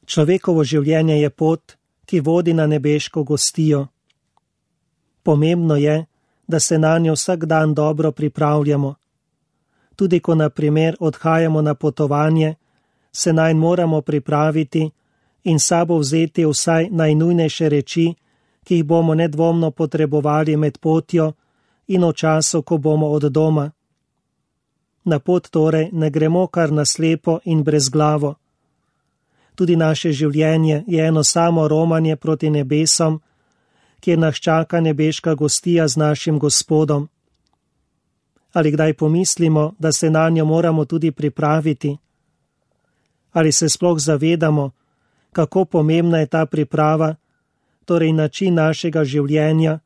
Človekovo življenje je pot, ki vodi na nebeško gostijo. Pomembno je, da se na njo vsak dan dobro pripravljamo. Tudi ko na primer odhajamo na potovanje, se nanj moramo pripraviti in sabo vzeti vsaj najnujnejše reči, ki jih bomo nedvomno potrebovali med potjo in v času, ko bomo od doma. Na pot torej ne gremo kar naslepo in brezglavo. Tudi naše življenje je eno samo romanje proti nebesom, kjer nas čaka nebeška gostija z našim Gospodom. Ali kdaj pomislimo, da se na njo moramo tudi pripraviti? Ali se sploh zavedamo, kako pomembna je ta priprava, torej način našega življenja,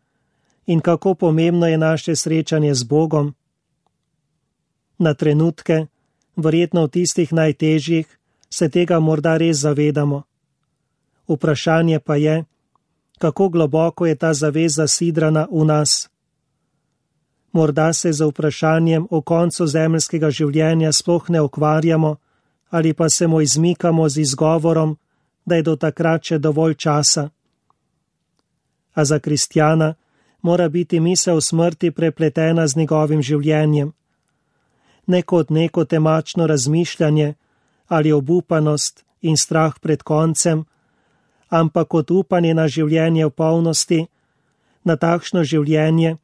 in kako pomembno je naše srečanje z Bogom? Na trenutke, verjetno v tistih najtežjih, se tega morda res zavedamo. Vprašanje pa je, kako globoko je ta zaveza sidrana v nas. Morda se z vprašanjem o koncu zemeljskega življenja sploh ne ukvarjamo ali pa se mu izmikamo z izgovorom, da je do takrat še dovolj časa. A za kristjana mora biti misel smrti prepletena z njegovim življenjem. Ne kot neko temačno razmišljanje ali obupanost in strah pred koncem, ampak kot upanje na življenje v polnosti, na takšno življenje,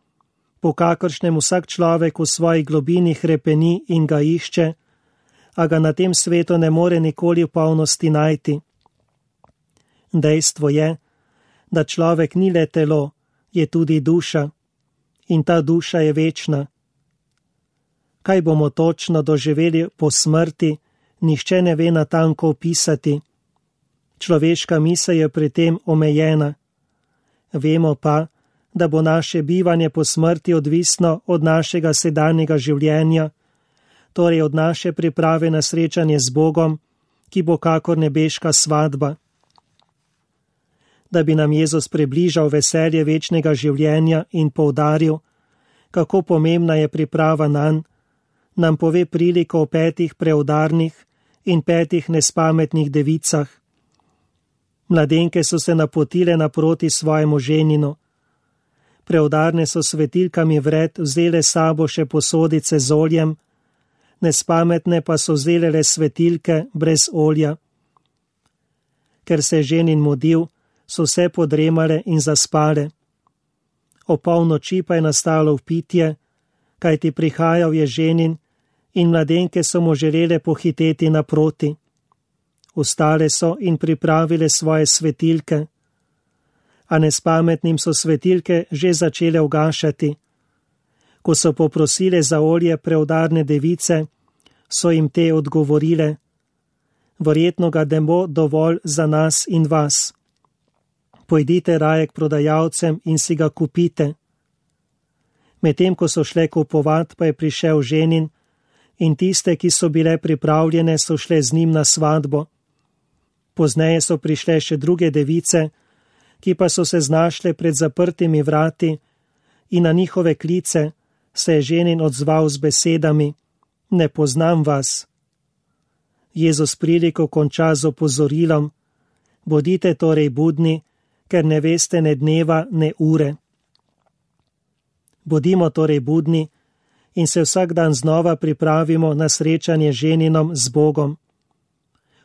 po kakršnem vsak človek v svoji globini hrepeni in ga išče, a ga na tem svetu ne more nikoli v polnosti najti. Dejstvo je, da človek ni le telo, je tudi duša, in ta duša je večna. Kaj bomo točno doživeli po smrti, nihče ne ve natanko opisati. Človeška misel je pri tem omejena. Vemo pa, da bo naše bivanje po smrti odvisno od našega sedanjega življenja, torej od naše priprave na srečanje z Bogom, ki bo kakor nebeška svadba. Da bi nam Jezus približal veselje večnega življenja in poudaril, kako pomembna je priprava nanj, nam pove priliko o 5 preudarnih in 5 nespametnih devicah. Mladenke so se napotile naproti svojemu ženinu. Preudarne so svetilkami vred vzele sabo še posodice z oljem, nespametne pa so vzele le svetilke brez olja. Ker se je ženin mudil, so vse podremale in zaspale. O polnoči pa je nastalo vpitje, kajti prihajal je ženin in mladenke so mu želele pohiteti naproti. Vstale so in pripravile svoje svetilke, a nespametnim so svetilke že začele ugašati. Ko so poprosile za olje preudarne device, so jim te odgovorile: verjetno ga ne bo dovolj za nas in vas. Pojdite raje k prodajalcem in si ga kupite. Medtem ko so šle kupovat, pa je prišel ženin in tiste, ki so bile pripravljene, so šle z njim na svadbo. Pozneje so prišle še druge device, ki pa so se znašle pred zaprtimi vrati, in na njihove klice se je ženin odzval z besedami: ne poznam vas. Jezus priliko konča z opozorilom: bodite torej budni, ker ne veste ne dneva, ne ure. Bodimo torej budni in se vsak dan znova pripravimo na srečanje ženinom z Bogom.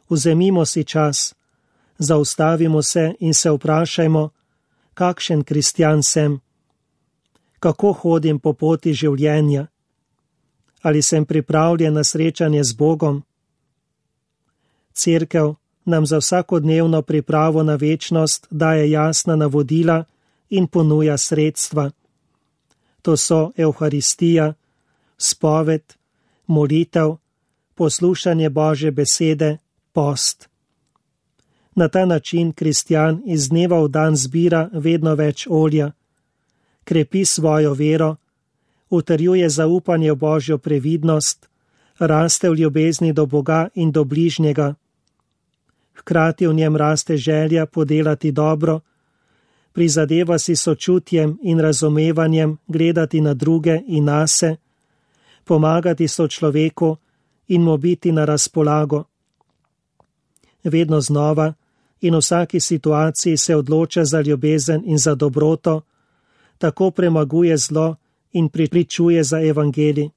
Vzemimo si čas, zaustavimo se in se vprašajmo, kakšen kristjan sem. Kako hodim po poti življenja? Ali sem pripravljen na srečanje z Bogom? Cerkev nam za vsakodnevno pripravo na večnost daje jasna navodila in ponuja sredstva. To so Evharistija, spoved, molitev, poslušanje Božje besede, post. Na ta način kristjan iz dneva v dan zbira vedno več olja, krepi svojo vero, utrjuje zaupanje v Božjo previdnost, raste v ljubezni do Boga in do bližnjega. Hkrati v njem raste želja podelati dobro, prizadeva si sočutjem in razumevanjem gledati na druge in nase, pomagati sočloveku in mu biti na razpolago. vedno znova in v vsaki situaciji se odloča za ljubezen in za dobroto, tako premaguje zlo in pričuje za evangelij.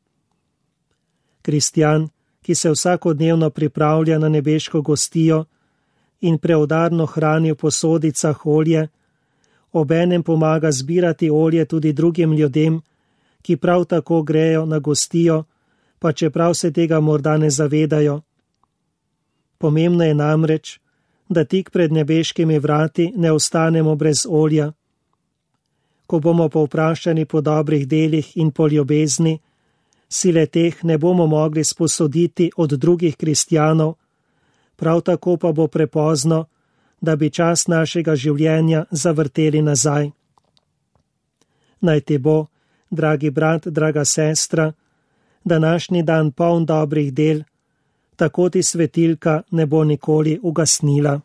Kristjan, ki se vsakodnevno pripravlja na nebeško gostijo in preudarno hrani v posodicah olje, obenem pomaga zbirati olje tudi drugim ljudem, ki prav tako grejo na gostijo, pa čeprav se tega morda ne zavedajo. Pomembno je namreč, da tik pred nebeškimi vrati ne ostanemo brez olja. Ko bomo povprašani po dobrih delih in po ljubezni, sile teh ne bomo mogli sposoditi od drugih kristjanov, prav tako pa bo prepozno, da bi čas našega življenja zavrteli nazaj. Naj ti bo, dragi brat, draga sestra, današnji dan poln dobrih del, tako ti svetilka ne bo nikoli ugasnila.